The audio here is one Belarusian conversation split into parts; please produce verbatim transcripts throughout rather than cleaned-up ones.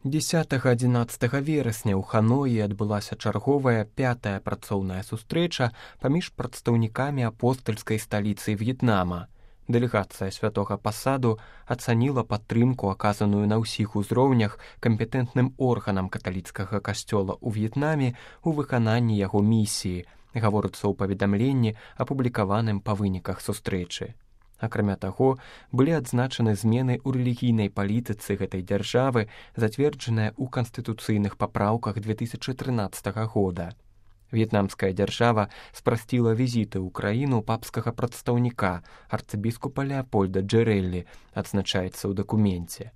дзесятага-адзінаццатага верасня ў Ханоі адбылася чарговая пятая працоўная сустрэча паміж прадстаўнікамі апостальскай сталіцы В'етнама. Дэлегацыя святога пасаду ацаніла падтрымку, аказаную на ўсіх узроўнях кампетэнтным органам каталіцкага касцёла ў В'етнаме ў выкананні яго місіі, гаворыцца ў паведамленні, апублікаваным па выніках сустрэчы. Акрамя таго, былі адзначаны змены ў рэлігійнай палітыцы гэтай дзяржавы, зацверджаныя ў канстытуцыйных папраўках две тысячы трынаццатага года. В'етнамская дзяржава спрасціла візіты ў краіну папскага прадстаўніка, арцыбіскупа Леапольда Джерэллі, адзначаецца ў дакуменце.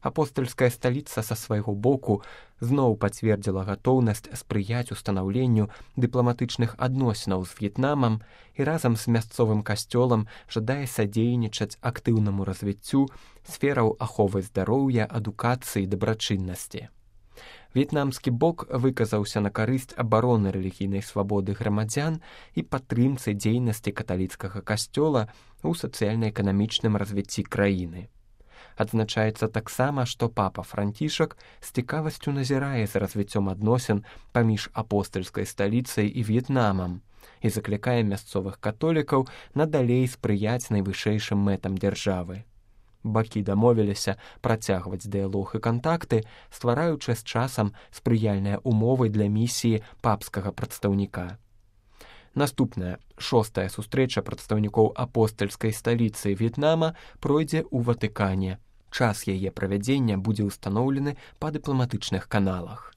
Апостальская сталіца са свайго боку зноў пацвердзіла гатоўнасць спрыяць устанаўленню дыпламатычных адносінаў з В'етнамам і разам з мясцовым касцёлам жадае садзейнічаць актыўнаму развіццю сфераў аховы здароўя, адукацыі і дабрачыннасці. В'етнамскі бок выказаўся на карысць абароны рэлігійнай свабоды грамадзян і падтрымцы дзейнасці каталіцкага касцёла ў сацыяльна-эканамічным развіцці краіны. Адзначаецца таксама, што папа Францішак з цікавасцю назірае за развіццём адносін паміж апостальскай сталіцай і В'етнамам і заклікае мясцовых католікаў надалей спрыяць найвышэйшым мэтам дзяржавы. Бакі дамовіліся працягваць дыялог і кантакты, ствараючы з часам спрыяльныя ўмовы для місіі папскага прадстаўніка. Наступная, шостая сустрэча прадстаўнікоў апостальскай сталіцы В'етнама пройдзе ў Ватыкане. Час яе правядзення будзе ўстаноўлены па дыпламатычных каналах.